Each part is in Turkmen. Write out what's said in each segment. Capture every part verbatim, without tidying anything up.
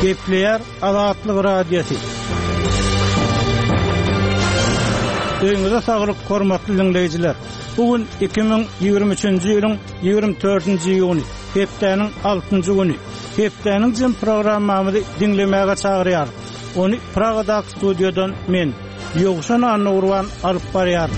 Gepleýär Azatlyk Radiosy. Öýüňize saglyk, hormatly dinleýjiler. Bu gün iki müň ýigrimi üçünji ýylyň ýigrimi dördünji iýuny, hepdäniň altynjy güni. Hepdäniň jem programmamyzy diňlemäge çagyrýar. Ony Pragadaky studiýadan men, Ýowşan Annagurban alyp barýar.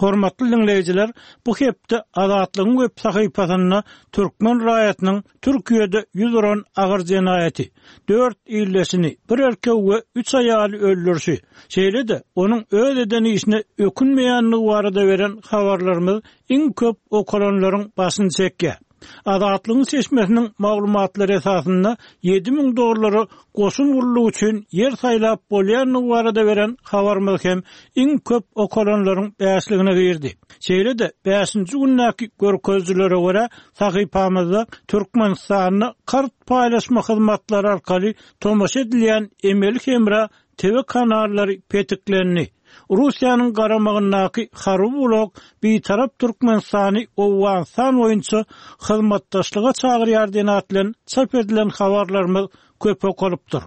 Hormatly dinleýjiler, bu hepde Azatlygyň web sahypasynda türkmen raýatynyň Türkiýede ýüz uran agyr jenaýaty, dört illeşini, bir erkek we üç aýaly öldürişi, şeýle-de onuň öz eden işine ökünmeýändigi barada beren habarlarymyz iň köp okalanlaryň başyny çekýär. Azatlygyň çeşmesiniň maglumatlary esasynda ýedi müň dollara goşun gullugy üçin ýer saýlap bolýandygy barada beren habarymyz hem iň köp okalanlaryň bäşligine girdi. Şeýle-de bäşinji gündäki görkezijilere görä sahypamyzda Türkmenistanda kart paýlaşma hyzmatlary arkaly tomaşa edilýän emeli hemra T V kanallary petiklendi. Russiýanyň garamagyndaky harby blok Bitarap Türkmenistany Owganystan boýunça hyzmatdaşlyga çagyrýar diýen at bilen çap edilen habarlarymyz köp okalypdyr.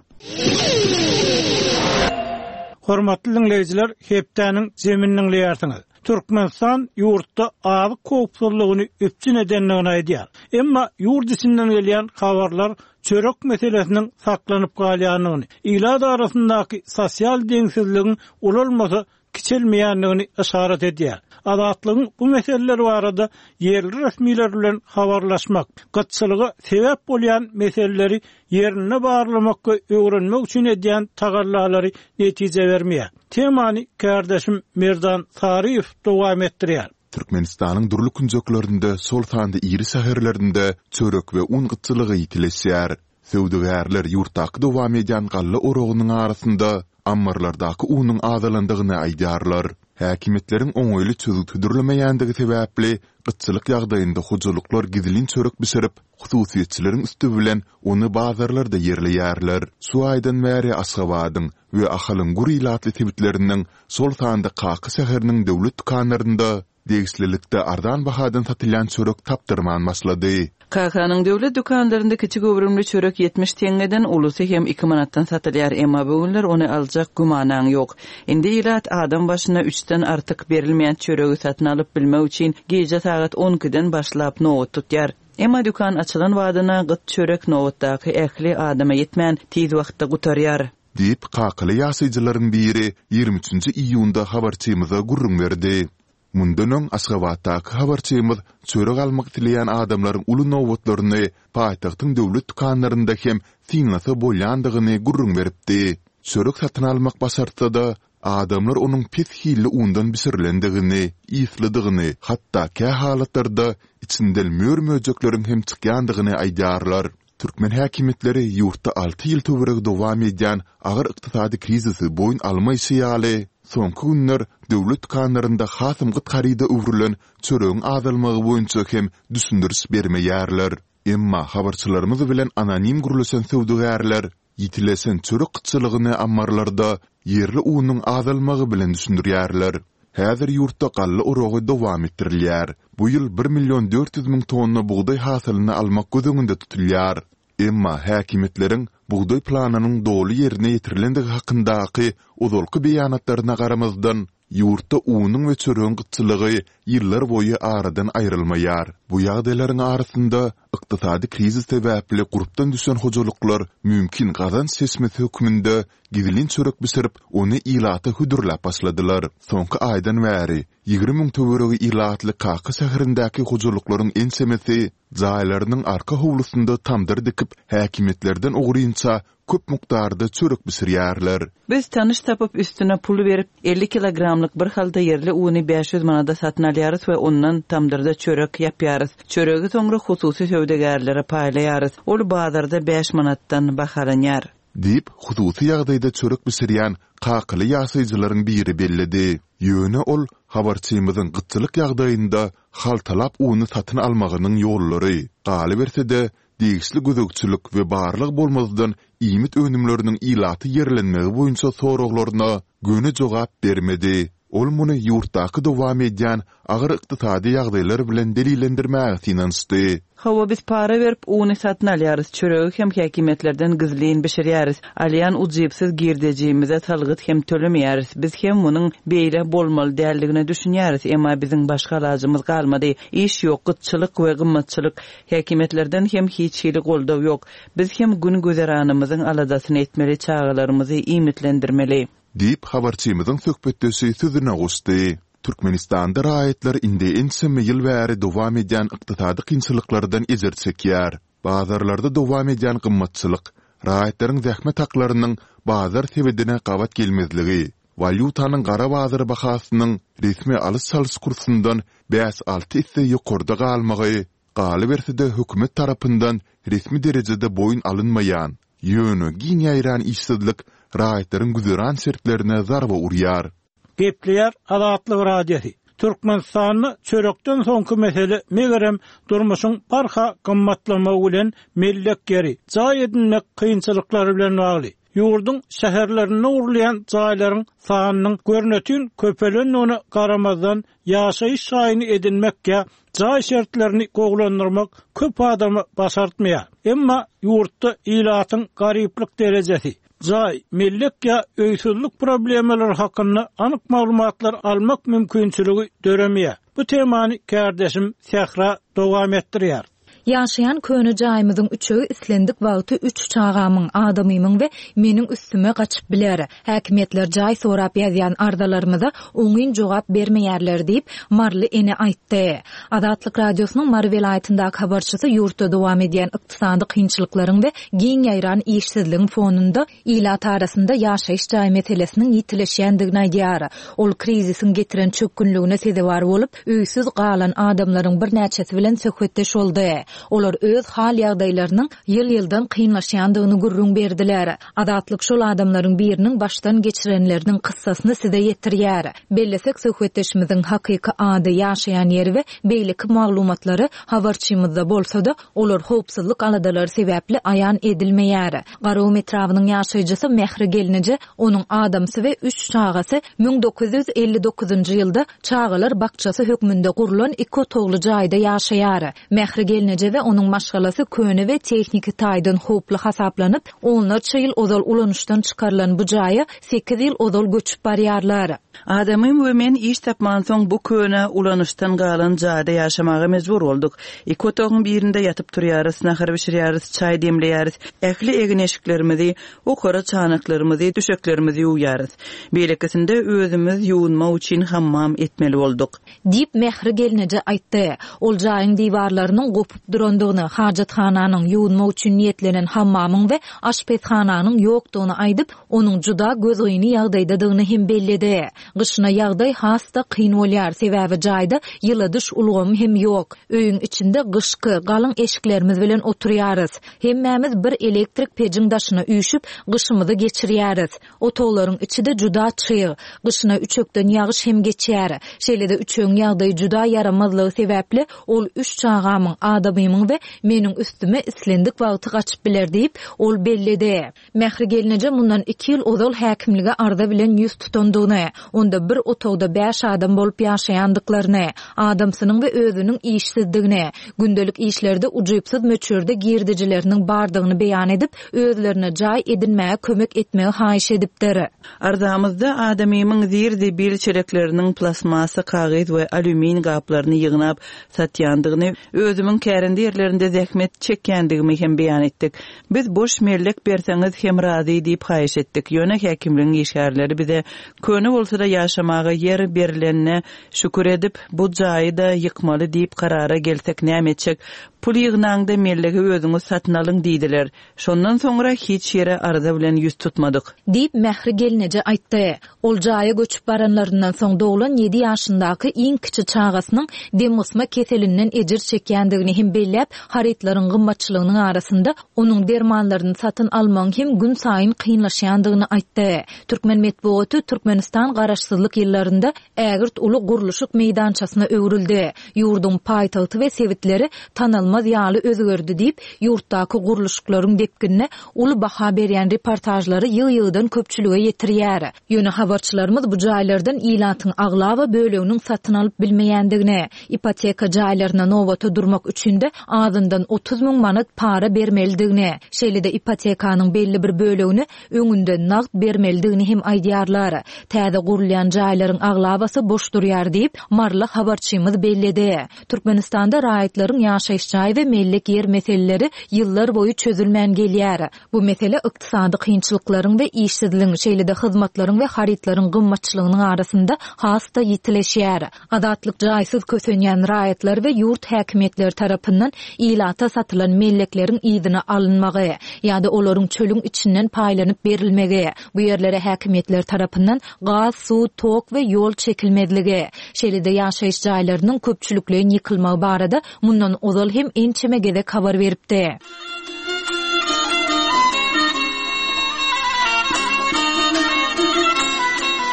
Hormatly dinleýjiler, hepdäniň zemini dinleýärsiňiz. Türkmenistan ýurtda azyk howpsuzlygyny üpjün edendigini aýdýar. Emma ýurt içinden gelýän habarlar çörek meselesiniň saklanyp galýandygyny, ilat arasyndaky sosial deňsizligiň ulalmasa kiçelmeýändigini işaret edýär. Azatlygyň bu meseleler barada ýerli resmiler bilen habarlaşmak, gytçylyga sebäp bolýan meseleleri ýerinde barlamak we öwrenmek üçin edýän tagallalary netije bermeýär. Temany kardeşim Merdan Saryýew dowam etdirýär. Türkmenistanyň dürli künjeklerinde, şol sanda iri şäherlerinde çörek we un gytçylygy ýitileşýär. Söwdagärler ýurtdaky dowam edýän galla oragynyň arasynda ammarlardaky unuň azalandygyny aýdýarlar. Häkimiýetleriň oňaýly çözgüt hödürlemeýändigi sebäpli gytçylyk ýagdaýynda hojalyklar gizlin çörek bişirip, hususyýetçileriň üsti bilen ony bazarlarda ýerleýärler. Şu aýdan bäri Aşgabadyň we Ahalyň gür ilatly sebitleriniň, şol sanda Kaka şäheriniň döwlet dükanlarynda degişlilikde arzan bahadan satylýan çörek tapdyrman başlady. Kakanyň döwlet dükanlarynda kiçi göwrümli çörek ýetmiş teňňeden, ulusy hem iki manatdan satylýar. Emma bu günler ony aljak gümanaň ýok. Indi ilat adam başyna üçden artyk berilmeýän çöregi satyn alyp bilmek üçin gije sagat on ikiden başlap nobat tutýar. Emma dükan açylan badyna gyt çörek nobatdaky ähli adama ýetmän tiz wagtda gutarýar. Diýip, kakaly ýaşaýjylaryň biri ýigrimi üçünji iýunda habarçymyza gürrüň berdi. Mundan öň Aşgabatdaky habarçymyz çörek almak isleýän adamlaryň uly nobatlaryny paýtagtyň döwlet dükanlarynda hem synlasa bolýandygyny gürrüň beripdi. Çörek satyn almak başartsa-da, adamlar onuň pes hilli undan bişirilendigini, ýylydygyny, hatda kä halatlarda içinden mör-möjekleriň hem çykýandygyny aýdýarlar. Türkmen häkimiýetleri ýurtda alty ýyl töweregi dowam edýän agyr ykdysady krizisi boýun almaýşy ýaly, soňky günler döwlet dükanlarynda hasam gyt haryda öwrülen çöregiň azalmagy boýunça hem düşündiriş bermeýärler. Emma habarçylarymyz bilen anonim gürleşen söwdagärler ýitileşen çörek gytçylygyny ammarlarda ýerli unuň azalmagy bilen düşündirýärler. Häzir ýurtda galla oragy dowam etdirilýär. Bu ýyl bir million dört ýüz müň tonna bugdaý hasylyny almak göz öňünde tutulýar. Emma häkimiýetleriň bugdaý planynyň doly ýerine ýetirilendigi hakyndaky ozalky beýanatlaryna garamazdan, ýurtda unuň we çöregiň gytçylygy ýyllar boýy aradan aýrylmaýar. Bu ýagdaýlaryň arasynda ykdysady krizis sebäpli gurpdan düşen hojalyklar mümkin gazanç çeşmesi hökmünde gizlin çörek bişirip, ony ilata hödürläp başladylar. Soňky aýdan bäri ýigrimi müň töweregi ilatly Kaka şäherindäki hojalyklaryň ençemesi jaýlarynyň arka howlusynda tamdyr dikip, häkimiýetlerden ogrynça köp mukdarda çörek bişirýärler. Biz tanyş tapyp üstüne pul berip elli kilogramlyk bir halda ýerli uny bäş ýüz manada satyn alýarys we ondan tamdyrda çörek ýapýarys. Çöregi soňra hususy söwdagärlere paýlaýarys. Ol bazarda bäş manatdan bahalanýar. Diýip, hususy ýagdaýda çörek bişirýän kakaly ýaşaýjylaryň biri belledi. Ýöne ol habarçymyzyň gytçylyk ýagdaýynda haltalap uny satyn almagynyň ýollary, galyberse-de degişli gözegçilik we barlag bolmazdan iýmit önümleriniň ilaty ýerlenmegi boýunça soraglaryna göni jogap bermedi. Ol muny ýurtdaky dowam edýän agyr ykdysady ýagdaýlar bilen delillendirmäge synanyşdy. Hawa, biz para berip, uny satyn alýarys, çöregi hem häkimiýetlerden gizlin bişirýäris. Alýan ujypsyz girdejimize salgyt hem tölemeýäris. Biz hem munuň beýle bolmaly däldigine düşünýäris, emma biziň başga alajymyz galmady. Iş ýok, gytçylyk we gymmatçylyk. Häkimiýetlerden hem hiç hili goldaw ýok. Biz hem gün-güzeranymyzyň aladasyny etmeli, çagalarymyzy iýmitlendirmeli. Diýip, habarçymyzyň söhbetdeşi sözüne goşdy. Türkmenistanda raýatlar indi ençeme ýyl bäri dowam edýän ykdysady kynçylyklardan ejir çekýär. Bazarlarda dowam edýän gymmatçylyk, raýatlaryň zähmet haklarynyň bazar sebedine gabat gelmezligi, walýutanyň gara bazar bahasynyň resmi alyş-çalyş kursundan bäş-alty esse ýokarda galmagy, galyberse-de hökümet tarapyndan resmi derejede boýun alynmaýan, ýöne giň ýaýran işsizlik raýatlaryň güzeran şertlerine zarba urýar. Gepleýär Azatlyk Radiosy. Türkmenistanda çörekden soňky mesele megerem durmuşyň barha gymmatlamagy bilen mellek ýeri, jaý edinmek kynçylyklary bilen bagly. Ýurduň şäherlerinde gurulýan jaýlaryň sanynyň görnetin köpelendigine garamazdan, ýaşaýyş jaýyny edinmek ýa jaý şertlerini gowulandyrmak köp adama başartmaýar. Emma ýurtda ilatyň garyplyk derejesi, jaý, mellek ýa öýsüzlik problemalary hakynda anyk maglumatlar almak mümkinçiligi döremeýär. Bu temany kärdeşim Sähra dowam etdirýär. Ýaşaýan köne jaýymyzyň üçegi islendik wagty üç çagamyň, adamymyň we meniň üstüme gaçyp biler. Häkimiýetler jaý sorap ýazýan arzalarymyza oňyn jogap bermeýärler diýip, maryly ene aýtdy. Azatlyk Radiosynyň Mary welaýatyndaky habarçysy ýurtda dowam edýän ykdysady kynçylyklaryň we giň ýaýran işsizligiň fonunda ilat arasynda ýaşaýyş jaý meselesiniň ýitileşýändigini aýdýar. Ol krizisiň getiren çökgünligine sezewar bolup, öýsüz galan adamlaryň birnäçesi bilen söhbetdeş boldy. Olar öz hal-ýagdaýlarynyň ýyl-ýyldan kynlaşýandygyny gürrüň berdiler. Azatlyk şol adamlaryň biriniň başdan geçirenleriniň kyssasyny size ýetirýär. Bellesek, söhbetdeşimiziň hakyky ady, ýaşaýan ýeri we beýleki maglumatlary habarçymyzda bolsa-da, olar howpsuzlyk aladalary sebäpli aýan edilmeýär. Garagum etrabynyň ýaşaýjysy Mähri gelneje, onuň adamsy we üç çagasy müň dokuz ýüz elli dokuzynjy ýylda çagalar bakjasy hökmünde gurlan iki otagly jaýda ýaşaýar. Mähri gelneje we onuň maşgalasy köne we tehniki taýdan howply hasaplanyp, onlarça ýyl ozal ulanyşdan çykarylan bu jaýa sekiz ýyl ozal göçüp barýarlar. Adamym we men iş tapmansoň bu köne ulanyşdan galan jaýda ýaşamaga mejbur bolduk. Iki otagyň birinde ýatyp turýarys, nahar bişirýäris, çaý demleýäris, ähli egin-eşiklerimizi, okara çanaklarymyzy, düşeklerimizi ýuwýarys. Beýlekisinde özümiz ýuwunmak üçin hammam etmeli bolduk. Diýip Mähri gelneje aýtdy. Ol jaýyň diwarlarynyň gopup durandygyny, hajathananyň, ýuwunmak üçin niýetlenen hammamyň we aşpezhananyň ýokdugyny aýdyp, onuň juda gözgyny ýagdaýdadygyny hem belledi. Gyşyna ýagdaý has-da kyn bolýar, sebäbi jaýda ýyladyş ulgamy hem ýok. Öýüň içinde gyşky, galyň eşiklerimiz bilen oturýarys. Hemmämiz bir elektrik pejiň daşyna üýşüp, gyşymyzy geçirýäris. Otaglaryň içi-de juda çyg. Gyşyna üçekden ýagyş hem geçýär. Şeýle-de üçegiň ýagdaýy juda ýaramazlygy sebäpli ol üç çagamyň, adamymyň we meniň üstüme islendik wagty gaçyp biler diýip, ol belledi. Mähri gelneje mundan iki ýyl ozal häkimlige arza bilen ýüz tutandygyny, onda bir otagda bäş adam bolup ýaşaýandyklaryny, adamsynyň we özüniň işsizdigini, gündelik işlerde ujypsyz möçberde girdejileriniň bardygyny beýan edip, özlerine jaý edinmäge kömek etmegi haýyş edipdir. Arzamyzda adamymyň zir-zibil çelekleriniň plastmassa, kagyz we alýumin gaplaryny ýygnap satýandygyny, özümiň kärende ýerlerinde zähmet çekýändigimi hem beýan etdik. Biz boş mellek berseňiz hem razy diýip haýyş etdik. Ýöne häkimligiň işgärleri bize köne bolsa-da ýaşamaga ýer berilenine şükür edip, bu jaýy-da ýykmaly diýip karara gelsek näme etjek? Pul ýygnaňda mellegi özüňiz satyn alyň diýdiler. Şondan soňra hiç ýere arza bilen ýüz tutmadyk. Diýip Mähri gelneje aýtdy. Ol jaýa göçüp baranlaryndan soň doglan ýedi ýaşyndaky iň kiçi çagasynyň demgysma keselinden ejir çekýändigini hem belläp, harytlaryň gymmatçylygynyň arasynda onuň dermanlaryny satyn almagyň hem gün saýyn kynlaşýandygyny aýtdy. Türkmen metbugaty Türkmenistan garaşsyzlyk ýyllarynda ägirt uly gurluşyk meýdançasyna öwrüldi. Ýurduň paýtagty we sebitleri tanalmaz tanalmaz ýaly özgerdi diýip, ýurtdaky gurluşyklaryň depginine uly baha berýän reportažlary ýygy-ýygydan köpçülige ýetirýär. Ýöne habarçylarymyz bu jaýlardan ilatyň aglaba böleginiň satyn alyp bilmeýändigini, ipoteka jaýlaryna nobata durmak üçin-de azyndan otuz müň manat para bermelidigini, şeýle-de ipotekanyň belli bir bölegini öňünden nagt bermelidigini hem aýdýarlar. Täze gurulýan jaýlaryň aglabasy boş durýar diýip, maryly habarçymyz belledi. Türkmenistanda raýatlaryň ýaşaýyş jaý we mellek ýer meseleleri ýyllar boýy çözülmän gelýär. Bu mesele ykdysady kynçylyklaryň we işsizligiň, şeýle-de hyzmatlaryň we harytlaryň gymmatçylygynyň arasynda has-da ýitileşýär. Azatlyk jaýsyz kösenýän raýatlar we ýurt häkimiýetleri tarapyndan ilata satylan mellekleriň yzyna alynmagy ýa-da olaryň çölüň içinden paýlanyp berilmegi, bu ýerlere häkimiýetler tarapyndan gaz, suw, tok we ýol çekilmezligi, şeýle-de ýaşaýyş jaýlarynyň köpçülikleýin ýykylmagy barada mundan ozal hem ençeme gezek habar beripdi.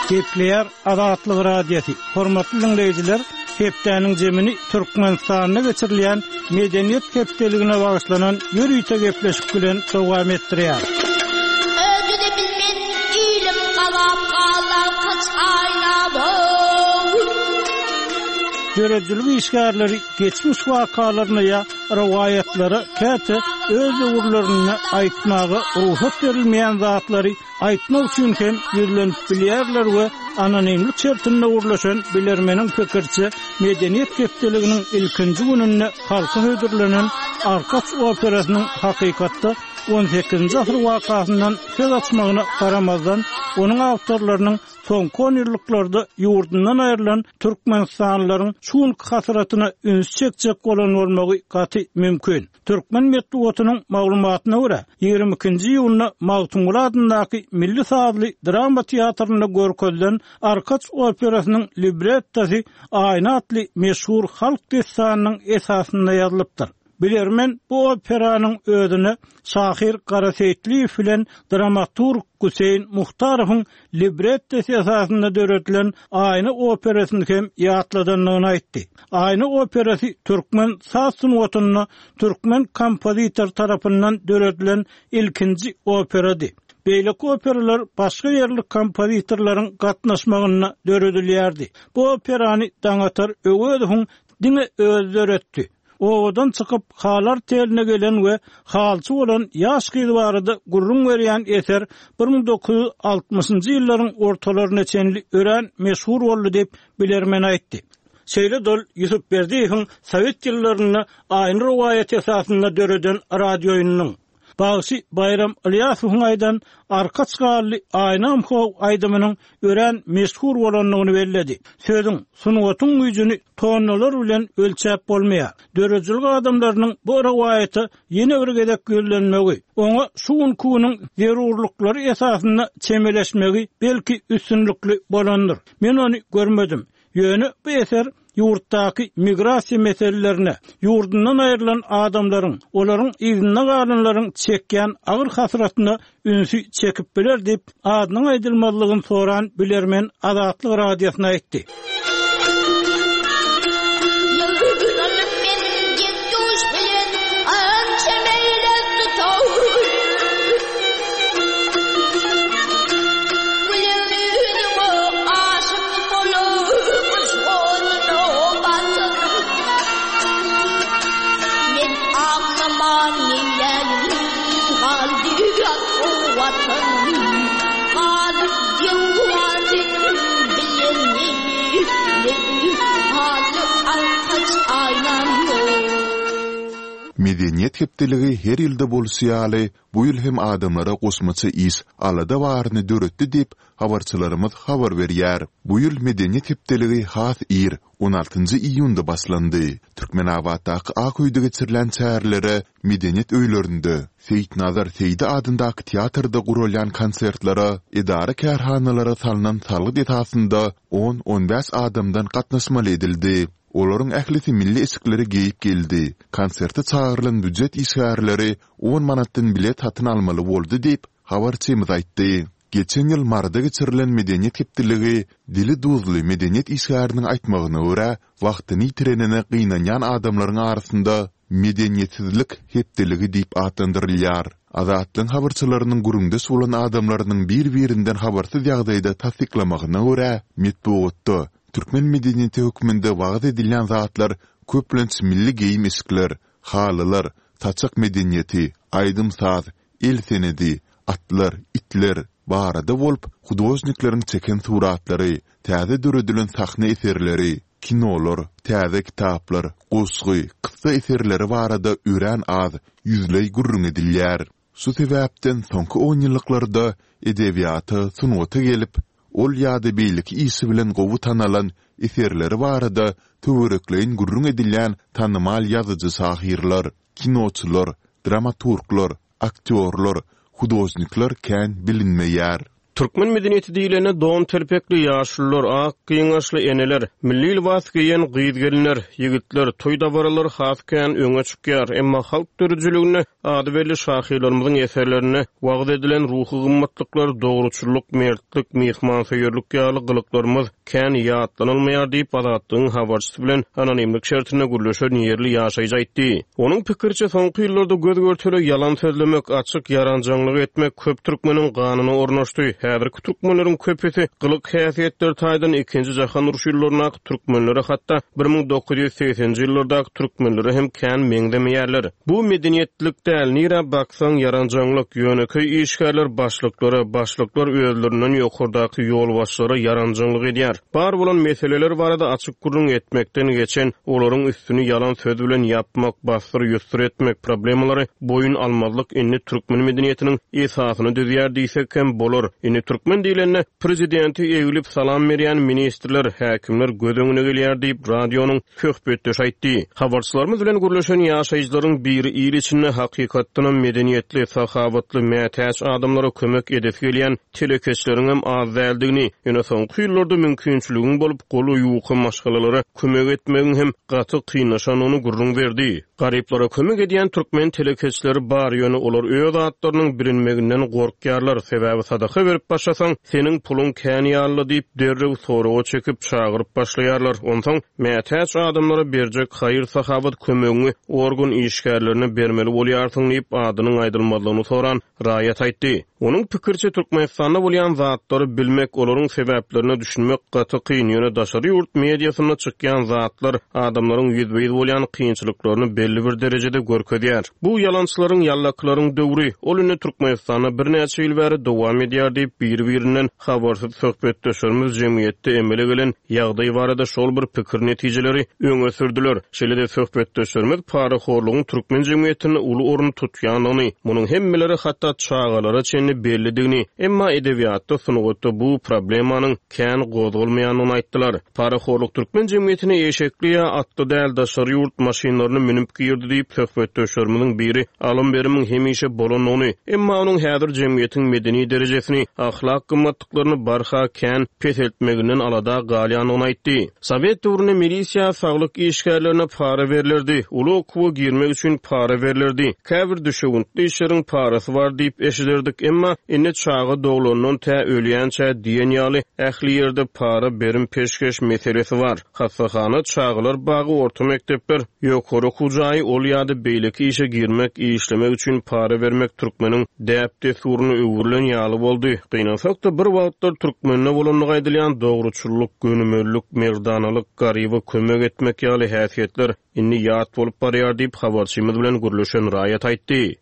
Gepleýär Azatlyk Radiosy. Hormatly diňleýjiler, hepdäniň jemini Türkmenistanda geçirilýän Medeniýet hepdeligine bagyşlanan ýörite gepleşik bilen dowam etdirýär. Özi-de bilmen ilim gazap galarkaç aýna bow. Döredijilik işgärleri geçmiş wakalaryna ýa rowaýatlara käte öz döwürlerinde aýtmaga rugsat berilmeýän zatlary aýtmak üçin hem ýüzlenip bilýärler we anonimlik şertinde gürleşen bilermeniň pikiriçe Medeniýet hepdeliginiň ilkinji gününde halka hödürlenen Arkaç operasynyň hakykatda on sekizinji asyr wakasyndan söz açmagyna garamazdan, onuň awtorlarynyň soňky on ýyllyklarda ýurdundan aýrylan türkmenistanlylaryň şu günki hasratyna üns çekjek bolan bolmagy gaty mümkin. Türkmen metbugatynyň maglumatyna görä, ýigrimi ikinji iýunda Magtymguly adyndaky Milli sazly drama teatrynda görkezilen Arkaç operasynyň librettosy Aýna atly meşhur halk dessanynyň esasynda ýazylypdyr. Bilermen bu operanyň özüne şahyr Gara Seýitliýew bilen dramaturg Guseýn Muhtarowyň librettosy esasynda döredilen Aýna operasyny hem ýatladandygyny aýtdy. Aýna operasy türkmen saz sungatynda türkmen kompozitor tarapyndan döredilen ilkinji operady. Beýleki operalar başga ýerli kompozitorlaryň gatnaşmagynda döredilýärdi. Bu operany Daňatar Öwezowyň diňe özi döretdi. Obadan çykyp halar teline gelen we halçy bolan ýaş gyz barada gürrüň berýän eser bir müň dokuz ýüz altmyşynjy ýyllaryň ortalaryna çenli örän meşhur boldy diýip bilermen aýtdy. Şeýle dol Ýusup Berdiýewiň sowet ýyllarynda Aýna rowaýaty esasynda döreden radioýynynyň Bagşy Baýram Ylýasowyň aýdan Arkaç gally Aýnam how aýdymynyň örän meşhur bolandygyny belledi. Sözüň, sungatyň güýjüni tonnalar bilen ölçäp bolmaýar. Döredijilik adamlarynyň bu rowaýata ýene bir gezek ýüzlenmegi, oňa şu günki günüň zerurlyklary esasynda çemeleşmegi belki üstünlikli bolandyr. Men ony görmedim. Ýöne bu eser ýurtdaky migrasiýa meselelerine, ýurdundan aýrylan adamlaryň, olaryň yzynda galanlaryň çekýän agyr hasratyna ünsi çekip biler diýip, adynyň aýdylmazlygyny soran bilermen Azatlyk Radiosyna aýtdy. Medeniýet hepdeligi her ýylda bolşy ýaly, bu ýyl hem adamlara goşmaça iş, alada baryny döretdi diýip, habarçylarymyz habar berýär. Bu ýyl Medeniýet hepdeligi has ir, on altynjy iýunda başlandy. Türkmenabatdaky Ak öýde geçirilen çärelere medeniýet öýlerinde, Seýitnazar Seýdi adyndaky teatrda guralýan konsertlere edara-kärhanalara salnan salgyt esasynda on-on bäş adamdan gatnaşmaly edildi. Olaryň ählisi milli eşikleri geýip geldi. Konserte çagyrylan býujet işgärleri on manatdan bilet satyn almaly boldy diýip, habarçymyz aýtdy. Geçen ýyl Maryda geçirilen Medeniýet hepdeligi dili duzly medeniýet işgäriniň aýtmagyna görä, wagtyny ýitirenine gynanýan adamlaryň arasynda Medeniýetsizlik hepdeligi diýip atlandyrylýar. Azatlygyň habarçylarynyň gürrüňdeş bolan adamlarynyň bir-birinden habarsyz ýagdaýda tassyklamagyna görä, metbugatda türkmen medeniýeti hökmünde wagyz edilýän zatlar köplenç milli geýim-eşikler, halylar, saçak medeniýeti, aýdym-saz, el senedi, atlar, itler barada bolup, hudožnikleriň çeken suratlary, täze döredilen sahna eserleri, kinolar, täze kitaplar, goşgy, kyssa eserleri barada örän az, ýüzleý gürrüň edilýär. Şu sebäpden soňky onýyllyklarda edebiýata, sungata gelip, ol ýa-da beýleki işi bilen gowy tanalan, eserleri barada töwerekleýin gürrüň edilýän tanymal ýazyjy-şahyrlar, kinoçylar, dramaturglar, aktýorlar, hudožnikler kän bilinmeýär. Türkmen medeniýeti diýlende don telpekli ýaşulular, ak gyňaçly eneler, milli lybas geýen gyz-gelinler, ýigitler, toý dabaralary has kän öňe çykýar. Emma halk döredijiliginde ady belli şahyrlarymyzyň eserlerinde wagyz edilen ruhy gymmatlyklar, dogruçyllyk, mertlik, myhmansöýerlik ýaly gylyklarymyz kän ýatlanylmaýar diýip, Azatlygyň habarçysy bilen anonimlik şertinde gürleşen ýerli ýaşaýjy aýtdy. Onuň pikiriçe, soňky ýyllarda göz-görtele ýalan sözlemek, açyk ýaranjaňlyk etmek köp türkmeniň ganyna ornaşdy. Häzirki türkmenleriň köpüsi gylyk-häsiýetler taýdan ikinji jahan urşy ýyllaryndaky türkmenlere, hatda bir müň dokuz ýüz segseninji ýyllardaky türkmenlere hem kän meňzemeýärler. Bu medeniýetlilik däl, nirä baksaň ýaranjaňlyk, ýönekeý işgärler başlyklara, başlyklar özlerinden ýokardaky ýolbaşçylara ýaranjaňlyk edýär. Bar bolan meseleler barada açyk gürrüň etmekden geçen, olaryň üstüni ýalan söz bilen ýapmak, bassyr-ýussur etmek, problemalary boýun almazlyk indi türkmen medeniýetiniň esasyny düzýär diýsek hem bolar. Indi türkmen diýlende prezidenti eglip salam berýän ministrler, häkimler göz öňüne gelýär diýip, radionyň söhbetdeşi aýtdy. Habarçylarymyz bilen gürleşen ýaşaýjylaryň biri il içinde hakykatdanam medeniýetli, sahawatly, mätäç adamlara kömek edesi gelýän telekeçileriň hem az däldigini, ýöne soňky ýyllarda mümkinçiligiň bolup goly ýuka maşgalalara kömek etmegiň hem gaty kynlaşandygyny gürrüň berdi. Garyplara kömek edýän türkmen telekeçileri bar, ýöne olar öz atlarynyň bilinmeginden gorkýarlar, sebäbi sadaka berip başlasaň, seniň puluň kän ýaly diýip derrew soraga çekip çagyryp başlaýarlar. Onsoň mätäç adamlara berjek haýyr-sahawat kömegiňi organ işgärlerine bermeli bolýarsyň diýip adynyň aýdylmazlygyny soran raýat aýtdy. Onuň pikiriçe Türkmenistanda bolýan zatlary bilmek, olaryň sebäplerine düşünmek gaty kyn, ýöne daşary ýurt mediasynda çykýan zatlar adamlaryň ýüzbe-ýüz bolýan kynçylyklaryny belli bir derejede görkezýär. Bu ýalançylaryň, ýallakylaryň döwri, ol indi Türkmenistanda birnäçe ýyl bäri dowam edýär diýip biri-birinden habarsyz söhbetdeşlerimiz jemgyýetde emele gelen ýagdaý barada şol bir pikir netijeleri öňe sürdüler. Şeýle-de söhbetdeşlerimiz parahorlugyň türkmen jemgyýetinde uly orun tutýandygyny, munuň hemmelere hatda çagalara çenli bellidigini, emma edebiýatda, sungatda bu problemanyň kän gozgalmaýandygyny aýtdylar. Parahorluk türkmen jemgyýetine eşekli ýa atly däl daşary ýurt maşynlaryny münüp girdi diýip söhbetdeşlerimiziň biri alym berimiň hemişe bolandygyny, emma onuň häzir jemgyýetiň medeni derejesini, ahlak gymmatlyklaryny barha kän peseltmeginden alada galýandygyny aýtdy. Sowet döwründe milisiýa saglyk işgärlerine para berlerdi, uly okuwa girmek üçin para berlerdi, käbir düşewüntli işleriň parasy bar diýip eşiderdik, emma indi çaga doglandan tä ölýänçä diýen ýaly ähli ýerde para berim peşgeş meselesi bar. Hassahana, çagalar bagy, orta mekdepler, ýokary okuw jaýy, ol ýa-da beýleki işe girmek, işlemek üçin para bermek türkmeniň däp-dessuryna öwrülen ýaly boldy. Gynansak-da bir wagtlar türkmende bolandygy aýdylýan dogruçyllyk, gönümellik, merdanalyk, garyba kömek etmek ýaly häsiýetler indi ýat bolup barýar diýip habarçymyz bilen gürleşen raýat aýtdy.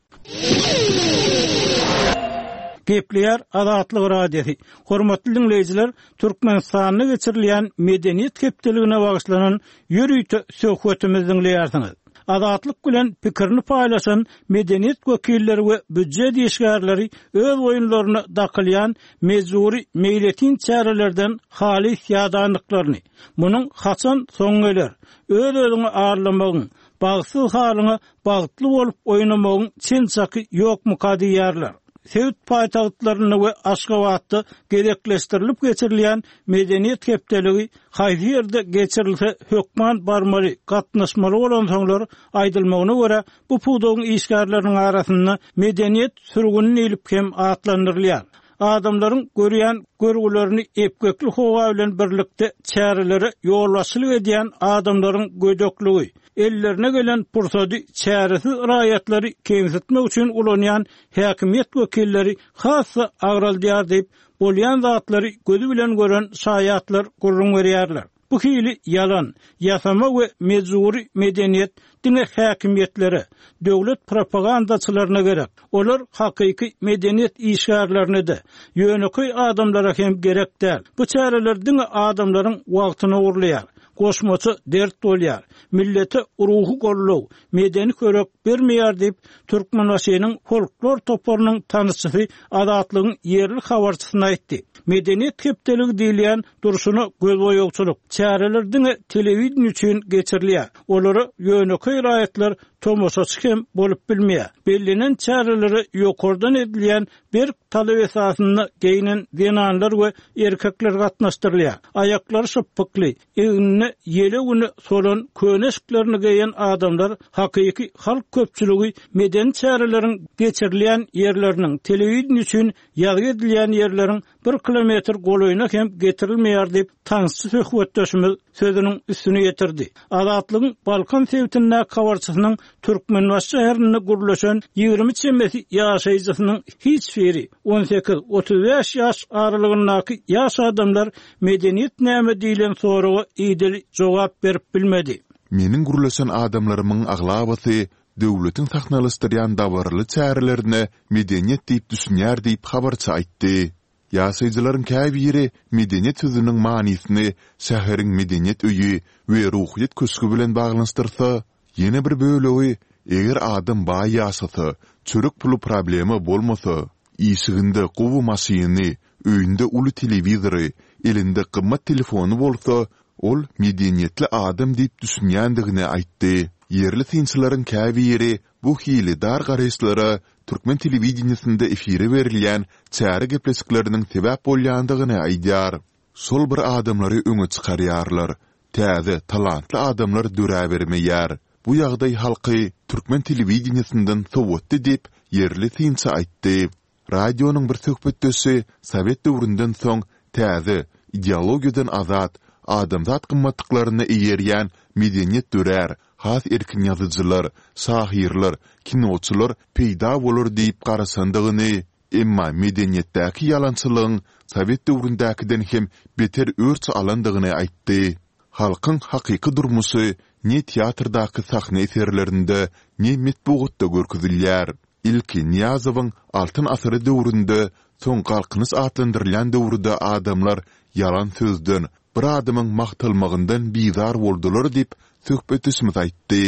Gepleýär Azatlyk Radiosy. Hormatly dinleýjiler, Türkmenistanda geçirilýän medeniýet hepdeligine bagyşlanan ýörite söhbetimizi dinleýärsiňiz. Azatlyk bilen pikirini paýlaşan medeniýet wekilleri we býujet işgärleri öz oýunlaryna dakylýan mejburi meýletin çärelerden halys ýadandyklaryny, munuň haçan soň geler, öz-özüňi arlamagyň, bagtsyz halyňa bagtly bolup oýnamagyň çen-çaky ýokmuka diýýärler. Sebit paýtagtlarynda we Aşgabatda gezekleşdirilip geçirilýän medeniýet hepdeligi haýsy ýerde geçirilse hökman barmaly, gatnaşmaly bolansoňlar aýdylmagyna görä bu pudagyň işgärleriniň arasynda medeniýet sürgüni diýlip hem atlandyrylýar. Adamlaryň görýän görgülerini epgekli howa bilen birlikde çärelere ýolbaşçylyk edýän adamlaryň gödekligi, ellerine gelen pursady çäresiz raýatlary kemsitmek üçin ulanýan häkimiýet wekilleri has-da agraldýar diýip, bolýan zatlary gözi bilen gören şaýatlar gürrüň berýärler. Bu hili ýalan, ýasama we mejbury medeniýet diňe häkimiýetlere, döwlet propagandaçylaryna gerek. Olar hakyky medeniýet işgärlerine-de, ýönekeý adamlara hem gerek däl. Bu çäreler diňe adamlaryň wagtyny ogurlaýar, goşmaça dert bolýar, millete ruhy goldaw, medeni körek bermeýär diýip, Türkmenbaşynyň folklor toparynyň tanyşçysy Azatlygyň ýerli habarçysyna aýtdy. Medeniýet hepdeligi diýilýän durşuna gözboýagçylyk çäreler diňe telewideniýe üçin geçirilýär. Olara ýönekeý raýatlar tomaşaçy hem bolup bilmeýär. Bellenen çärelere ýokardan edilýän berk talap esasynda geýnen zenanlar we erkekler gatnaşdyrylýar. Aýaklary şypbykly, egnine ýele güni solan köne eşiklerini geýen adamlar hakyky halk köpçüligi medeni çäreleriň geçirilýän ýerleriniň telewideniýe üçin ýazgy edilýän ýerleriň bir kilometr golaýyna hem getirilmeýär diýip, tanyşçy söhbetdeşimiz sözüniň üstüni ýetirdi. Azatlygyň Balkan sebitindäki habarçysynyň Türkmenbaşy şäherinde gürleşen ýigrimi çemesi ýaşaýjysynyň hiç biri on sekiz otuz bäş ýaş aralygyndaky ýaş adamlar medeniýet näme diýlen soraga idili jogap berip bilmedi. Meniň gürleşen adamlarymyň aglabasy döwletiň sahnalaşdyrýan dabaraly çärelerine medeniýet diýip düşünýär diýip habarçy aýtdy. Ýaşaýjylaryň käbiri medeniýet sözüniň manysyny şäheriň medeniýet öýi we ruhyýet köşgi bilen baglanyşdyrsa, ýene bir bölegi eger adam baý ýaşasa, çörek puly problema bolmasa, işiginde gowy maşyny, öýünde uly telewizory, elinde gymmat telefony bolsa, ol medeniýetli adam diýip düşünýändigini aýtdy. Ýerli synçylaryň käbiri bu hili dar garaýyşlara türkmen telewideniýesinde efire berilýän çäre gepleşikleriniň sebäp bolýandygyny aýdýar. Şol bir adamlary öňe çykarýarlar. Täze, talantly adamlar döräbermeýär. Bu ýagdaý halky türkmen telewideniýesinden sowatdy diýip, ýerli synçy aýtdy. Radionyň bir söhbetdeşi sowet döwründen soň täze, ideologiýadan azat, adamzat gymmatlyklaryna eýerýän medeniýet dörär, has erkin ýazyjylar, şahyrlar, kinoçylar peýda bolar diýip garaşandygyny, emma medeniýetdäki ýalançylygyň sowet döwründäkiden hem beter örç alandygyny aýtdy. Halkyň hakyky durmuşy ne teatrdaky sahna eserlerinde, ne metbugatda görkezilýär. Ilki Nyýazowyň Altyn asyry döwründe, soň Galkynyş atlandyrylýan döwürde adamlar ýalan sözden, bir adamyň magtalmagyndan bizar boldular diýip, söhbetdeşimiz aýtdy.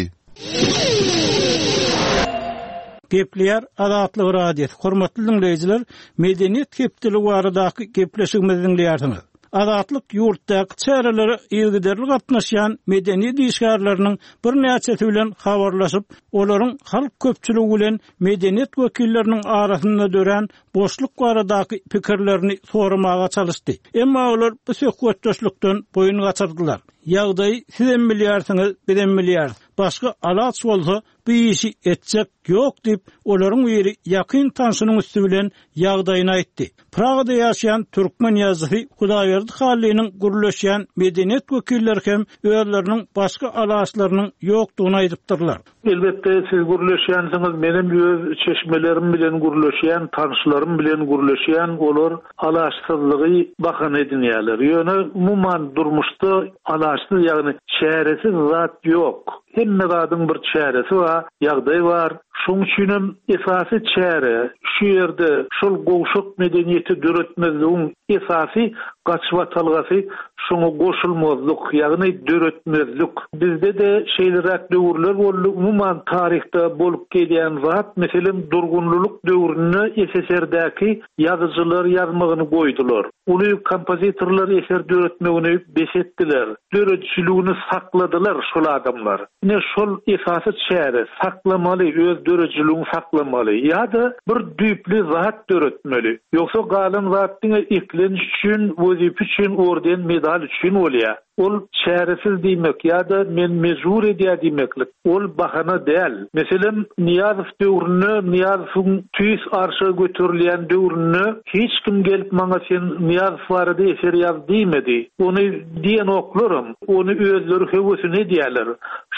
Gepleýär Azatlyk Radiosy. Hormatly diňleýjiler, Medeniýet hepdeligi baradaky gepleşigimizi diňleýärsiňiz. Azatlyk ýurtdaky çärelere yzygiderli gatnaşýan medeniýet işgärleriniň birnäçesi bilen habarlaşyp, olaryň halk köpçüligi bilen medeniýet wekilleriniň arasynda dörän boşluk baradaky pikirlerini soramaga çalyşdy. Emma olar bu söhbetdeşlikden boýun gaçyrdylar. Ýagdaýy sizem bilýärsiňiz, bizem bilýäris. Başga alaç bolsa bu işi etjek ýok diýip, olaryň biri ýakyn tanşynyň üsti bilen ýagdaýyny aýtdy. Pragada ýaşaýan türkmen ýazyjysy Hudaýberdi Hallynyň gürleşýän medeniýet wekilleri hem özleriniň başga alaçlarynyň ýokdugyny aýdypdyrlar. Elbetde siz gürleşýänsiňiz, menem öz çeşmelerim bilen gürleşýän, tanşlarym bilen gürleşýän, olar alaçsyzlygy bahana edinýärler. Ýöne umuman durmuşda alaçsyz, ýagny çäresiz zat ýok. Hemme zadyň bir çäresi bar, ýagdaý bar. Şonuň üçin hem esasy çäre şu ýerde şol gowşak medeniýeti döretmezligiň esasy gaçybatalgasy şoňa goşulmazlyk, ýagny döretmezlik. Bizde-de şeýleräk döwürler boldy. Umuman taryhda bolup gelýän zat, meselem, durgunlylyk döwründe S S R-däki ýazyjylar ýazmagyny goýdular. Uly kompozitorlar eser döretmegini bes etdiler. Döredijiligini sakladylar şol adamlar. Ine şol esasy çäre, saklamaly, öz döredijiligini saklamaly ýa-da bir düýpli zat döretmeli. Ýogsa galan zat diňe eklenç üçin, wezipe üçin, orden, medal üçin bolýar. Ol çäresiz diýmek ýa-da men mejbur edýär diýmeklik. Ol bahana däl. Meselem, Nyýazow döwründe, Nyýazowyň tüýs arşa göterilýän döwründe hiç kim gelip maňa sen Nyýazow barada eser ýaz diýmedi. Ony diýenoklaram, ony özleri höwesine edýärler.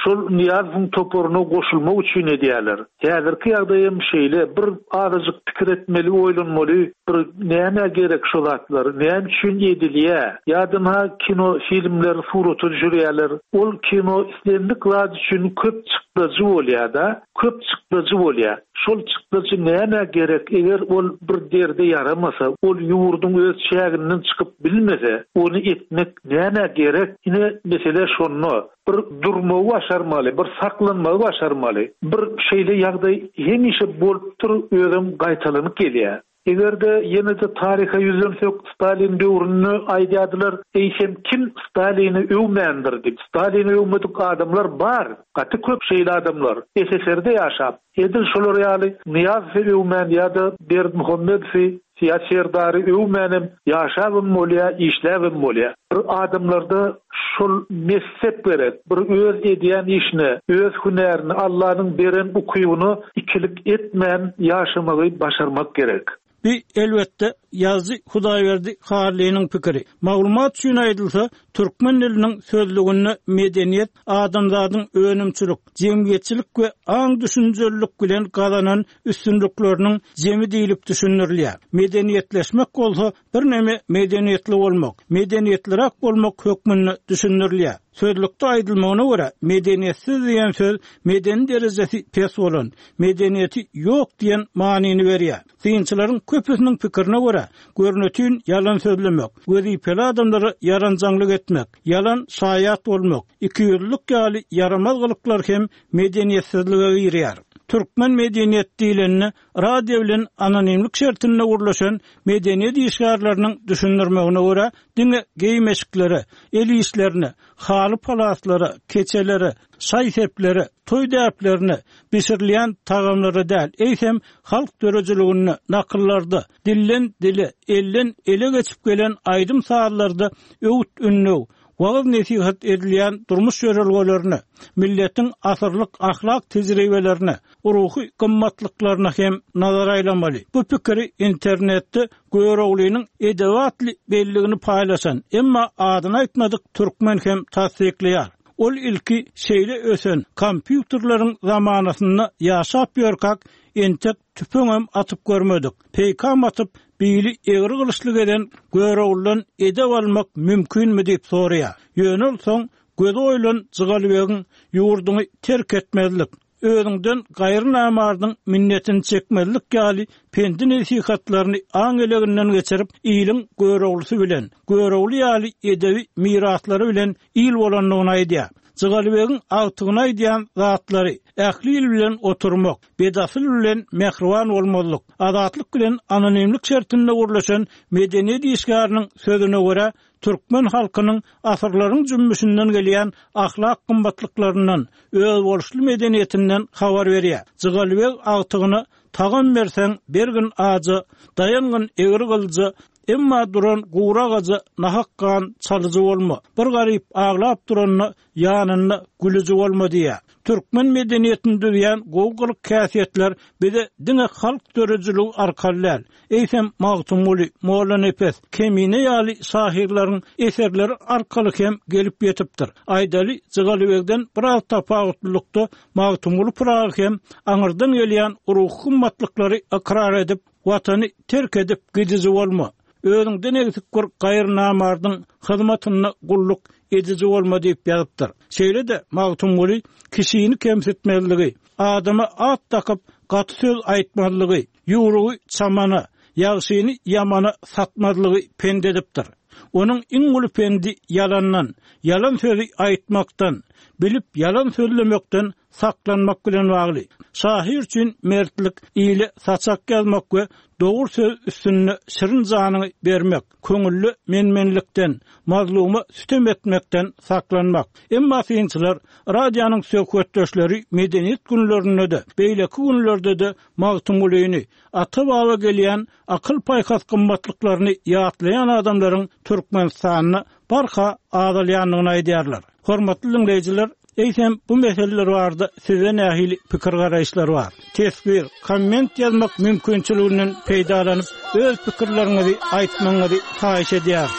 Şol Nyýazowyň toparyna goşulmak üçin edýärler. Häzirki ýagdaýam şeýle, bir azajyk pikir etmeli, oýlanmaly, bir nämä gerek şo zatlar, näme üçin edilýär? Ýa-da kino filmler surata düşürýärler. Ol kino islendik zat üçin köp çykdajy bolýar-da, köp çykdajy bolýar. Şol çykdajy nämä gerek? Eger ol bir derde ýaramasa, ol ýurduň öz çäginden çykyp bilmese, ony etmek nämä gerek? Ine mesele şonda. Bir durmagy başarmaly, bir saklanmagy başarmaly. Bir şeýle ýagdaý hemişe bolupdyr, özem gaýtalanyp gelýär. Eger-de ýene-de taryha ýüzlensek, Stalin döwründe aýdýardylar, eýsem kim Stalini öwmändir diýip. Stalini öwmedik adamlar bar, gaty köp şeýle adamlar. S S S R-de ýaşap, edil şolar ýaly Nyýazowy öwmän ýa-da Berdimuhamedowy, ýa Serdary öwmänem ýaşabam bolýar, işläbem bolýar. Bir adamlarda şol messep gerek, bir öz edýän işine, öz hünärini, Allanyň beren ukybyny ikilik etmän ýaşamagy başarmak gerek. Bi elbetde ýazyjy Hudaýberdi Hallynyň pikiri. Maglumat üçin aýdylsa, türkmen diliniň sözlüginde medeniýet adamzadyň önümçilik, jemgyýetçilik we aň düşünjelilik bilen gazanan üstünlikleriniň jemi diýlip düşündirilýär. Medeniýetleşmek bolsa birneme medeniýetli bolmak, medeniýetliräk bolmak hökmünde düşündirilýär. Sözlükde aýdylmagyna görä, medeniýetsiz diýen söz medeni derejesi pes bolan, medeniýeti ýok diýen manyny berýär. Synçylaryň köpüsiniň pikirine görä, görnütün ýalan sözlemek, wezipeli adamlara ýaranjaňlyk etmek, ýalan şaýat bolmak, ikiýüzlülük ýaly ýaramaz gylyklar hem medeniýetsizlige girýär. Türkmen medeniýet diýlenine radio bilen anonimlik şertinde gurlaşan medeniýet işgärleriniň düşündirmegine görä, diňe geýmeşiklere, el işlerine, haly palaslara, keçelere, şaý-seplere, toý däplerine, bişirilýän tagamlara däl, eýsem halk döredijiliginde, nakyllarda, dilden dile, elden ele geçip gelen aýdym sazlarda öwüt-ündew, wagyz nesihat edilýän durmuş ýörelgelerine, milletiň asyrlyk ahlak tejribelerine, ruhy gymmatlyklaryna hem nazar aýlamaly. Bu pikiri internetde Göroglynyň edebi belligini paýlaşan, emma adyny aýtmadyk türkmen hem tassyklaýar. Ol ilki şeýle ösen kompýuterleriň zamanasynda ýaşap ýörkäk, entek tüpeňem atyp görmedik. Peýkam atyp, bili egri gylyçly gelen Göroglydan edep almak mümkinmi diýip soraýar. Ýöne ol soň gözi oýlan Jygalybegiň ýurduny terk etmezlik, özüňden gaýry namardyň minnetini çekmezlik ýaly pendi nesihatlaryny aň eleginden geçirip, iliň Göroglysy bilen, Görogly ýaly edebi miraslary bilen il bolandygyny aýdýar. Jygalybegiň agtygyna aýdýan zatlary ähli il bilen oturmak, bedasyl bilen mähriban bolmazlyk, azatlyk bilen anonimlik şertinde gurlaşan medeniýet işgäriniň sözüne görä, türkmen halkynyň asyrlaryň jümmüşinden gelýän ahlak gymmatlyklaryndan, özboluşly medeniýetinden habar berýär. Jygalybeg agtygyna tagam berseň bergin aja, daýangyn egri gylyja, emma duran gura agaja nahak gan çalyjy bolma. Bir garyp aglap duranda ýanynda gülüji bolma diýýär. Türkmen medeniýetini düzýän gowy gylyk häsiýetler bize diňe halk döredijiligi arkaly däl, eýsem Magtymguly, Mollanepes, Kemine ýaly şahyrlaryň eserleri arkaly hem gelip ýetipdir. Aýdaly Jygalybegden biraz tapawutlylykda Magtymguly Pyragy hem aňyrdan gelýän ruhy gymmatlyklary ykrar edip, watany terk edip gidiji bolma. Özüňden egsik bir gaýry namardyň hyzmatynda gulluk ediji bolma diýip ýazypdyr. Şeýle-de Magtymguly kişini kemsitmezligi, adama at dakyp gaty söz aýtmazlygy, ýurugy çamana, ýagşyny ýamana satmazlygy pend edipdir. Onuň iň uly pendi ýalandan, ýalan sözi aýtmakdan, bilip ýalan sözlemekden saklanmak bilen bagly. Şahyr üçin mertlik ile saçak ýazmak we dogry söz üstünde şirin janyny bermek, köňüllü menmenlikden, mazluma sütem etmekden saklanmak. Emma synçylar radionyň söhbetdeşleri medeniýet günlerinde de, beýleki günlerde de Magtymgulyny, ata-baba gelýän akyl paýhas gymmatlyklaryny ýatlaýan adamlaryň Türkmenistanda barha azalýandygyny aýdýarlar. Hormatly diňleýjiler, eýsem bu meseleler barada size nähili pikir garaýyşlar bar? Teswir, komment ýazmak mümkinçiliginden peýdalanyp, öz pikirleriňizi aýtmagyňyzy haýyş edýäris.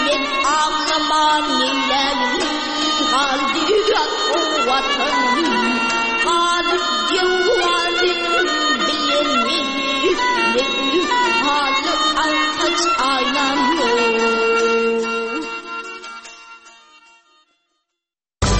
Men aglaman neýläýin, galdy ýat o watan.